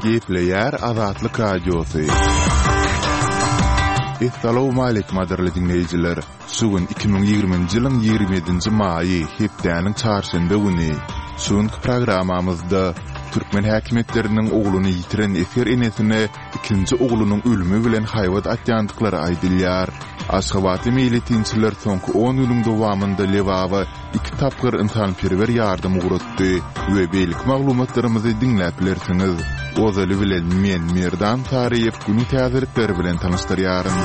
Gepleýär Azatlyk Radiosy. Essalawmaleýkim gadyrly diňleýjiler! Şu gün 2020-nji ýylyň 27-nji maýy, hepdäniň çarşenbe güni. Şu günki programmamyzda türkmen häkimiýetleriniň ogluny ýitiren esger enesine ikinji oglunyň ölümi bilen haýbat atýandyklary aýdylýar. Aşgabatly meýletinçiler soňky on günüň dowamynda Lebaba iki tapgyr ynsanperwer ýardam ugratdy we beýleki maglumatlarymyzy diňläp bilersiňiz. Ozaly bilen men, Merdan Saryýew günüň täzelikleri bilen tanyşdyrýaryn.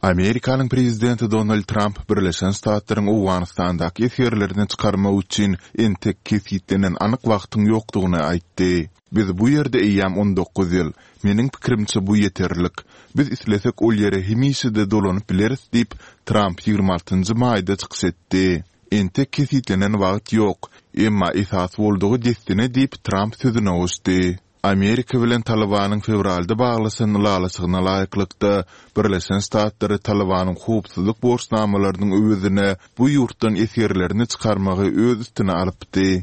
Amerikanyň prezidenti Donald Tramp Birleşen Ştatlaryň Owganystandaky esgerlerini çykarmak üçin entek kesgitlenen anyk wagtyň ýokdugyny aýtdy. Biz bu ýerde eýýäm 19 ýyl. Meniň pikirimçe bu ýeterlik. Biz islesek ol ýere hemişe-de dolanyp bileris diýip, Tramp 26 maýda çykyş etdi. Entek kesgitlenen wagt ýok. Emma esas boldugy dessine diýip, Tramp sözüne goşdy. Amerika bilen Talybanyň fewralda baglaşan ylalaşygyna laýyklykda, Birleşen Ştatlary Talybanyň howpsuzlyk borçnamalarynyň öwezine bu ýurtdan esgerlerini çykarmagy öz üstüne alypdy.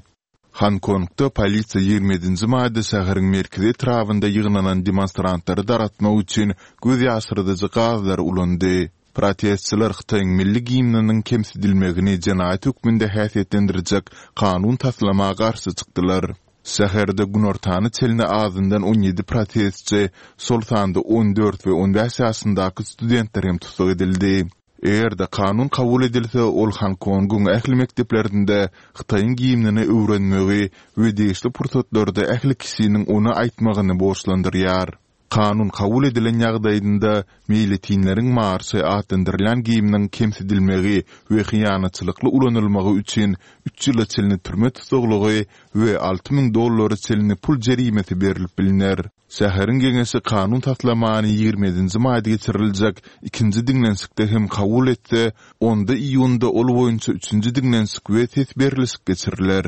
Honkongda polisiýa 27-nji maýda şäheriň merkezi etrabynda ýygnanan demonstrantlary dargatmak üçin göz ýaşyrdyjy gazlary ulandy. Protestçiler Hytaýyň milli gimniniň kemsidilmegini jenaýat hökmünde häsiýetlendirjek kanun taslama garşy çykdylar. Şäherde günortana çenli azyndan 17 protestçi, şol sanda 14 we 15 ýaşyndaky studentler hem tussag edildi. Eger-de kanun kabul edilse, ol Honkongyň ähli mekdeplerinde Hytaýyň gimnini öwrenmegi we degişli pursatlarda ähli kişiniň ony aýtmagyny borçlandyrýar. Kanun kabul edilen ýagdaýynda meýletinleriň marşy atlandyrylýan gimniň kemsidilmegi we hyýanatçylykly ulanylmagy üçin üç ýyla çenli türme tussaglygy we 6000 dollara çenli pul jerimesi berlip bilner. Şäheriň geňeşi kanun taslamany 27-nji maýda geçiriljek ikinji diňlenişikde hem kabul etse, onda iýunda ol boýunça üçünji diňlenişik we ses berlişik geçiriler.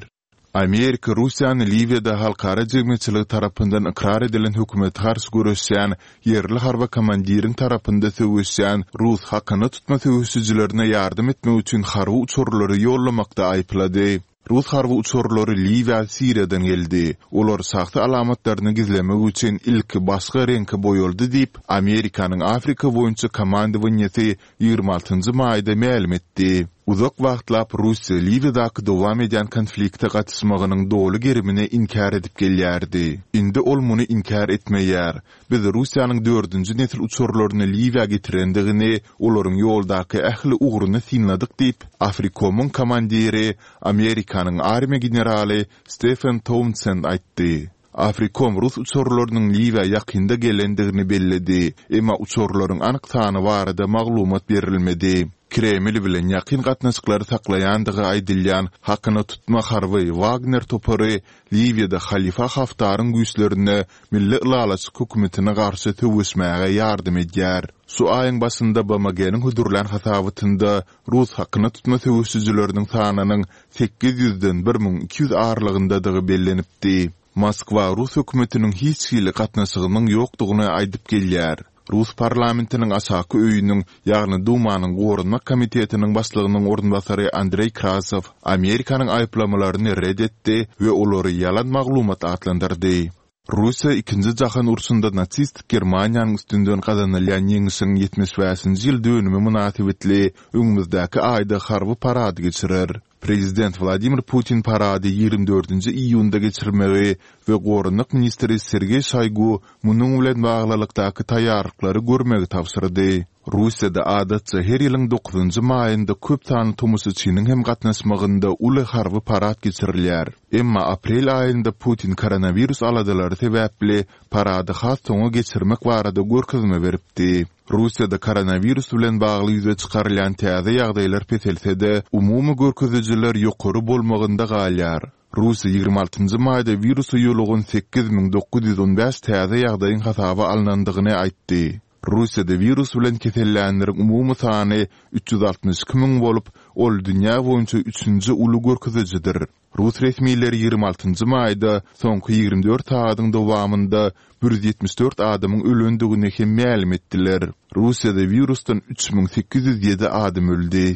Amerika Russiýany Liwiýada halkara jemgyýetçiligi tarapyndan ykrar edilen hökümete garşy göreşýän ýerli harby komandiriň tarapynda söweşýän rus hakyna tutma söweşijilerine ýardam etmek üçin harby uçarlary ýollamakda aýyplady. Rus harby uçarlary Liwiýa Siriýadan geldi. Olar şahsy alamatlaryny gizlemek üçin ilki başga reňke boýaldy diýip, Amerikanyň Afrika boýunça komandowaniýesi 26 maýda mälim etdi. Uzak wagtlap Russiýa Liwiýadaky dowam edýän konflikte gatyşmagynyň doly gerimini inkär edip gelýärdi. Indi ol muny inkär etmeýär. Biz Russiýanyň dördünji nesil uçarlaryny Liwiýa getirendigini, olaryň ýoldaky ähli ugruny synladyk diýip, Afrikomyň komandiri, Amerikanyň armiýa generaly Stefen Tounsend aýtdy. Afrikom rus uçarlarynyň Liwiýa ýakynda gelendigini belledi, emma uçarlaryň anyk sany barada maglumat berilmedi. Kreml bilen ýakyn gatnaşyklary saklaýandygy aýdylýan hakyna tutma harby Wagner topary Liwiýada Halifa Haftaryň güýçlerine Milli ylalaşyk hökümetine garşy söweşmäge ýardam edýär. Şu aýyň başynda BMG-niň hödürlän hasabatynda rus hakyna tutma söweşijileriniň sanynyň sekiz ýüzden 1200 aralygyndadygy bellenipdi. Moskwa rus hökümetiniň hiç hili gatnaşygynyň ýokdugyny aýdyp gelýär. Rus parlamentiniň aşaky öýüniň, ýagny Dumanyň Goranmak komitetiniň başlygynyň orunbasary Andreý Krasow Amerikanyň aýyplamalaryny ret etdi we olary ýalan maglumat atlandyrdy. Russiýa Ikinji jahan urşunda nasistik Germaniýanyň üstünden gazanylýan ýeňişiň 75-nji ýyl dönümi mynasybetli öňümizdäki aýda harby parad geçirer. Prezident Wladimir Putin parady 24-nji iýunda geçirmegi we goranmak ministri Sergeý Şoýgu munuň bilen baglylykdaky taýýarlyklary görmegi tabşyrdy. Russiýada adatça her ýylyň dokuzynjy maýynda köp sanly tomaşaçynyň hem gatnaşmagynda uly harby parad geçirilýär. Emma aprel aýynda Putin koronawirus aladalary sebäpli parady has soňa geçirmek barada görkezme beripdi. Russiýada koronawirus bilen bagly ýüze çykarylýan täze ýagdaýlar peselse-de, umumy görkezijiler ýokary bolmagynda galýar. Russiýa 26 maýda wirusa ýolugan 8915 täze ýagdaýyň hasaba alnandygyny aýtdy. Russiýada wirus bilen kesellänleriň umumy sany 362 müň bolup, ol dünýä boýunça üçünji uly görkezijidir. Rus resmileri 26 maýda soňky 24 sagadyň dowamynda 174 adamyň ölendigini hem mälim etdiler. Russiýada wirusdan 3807 adam öldi.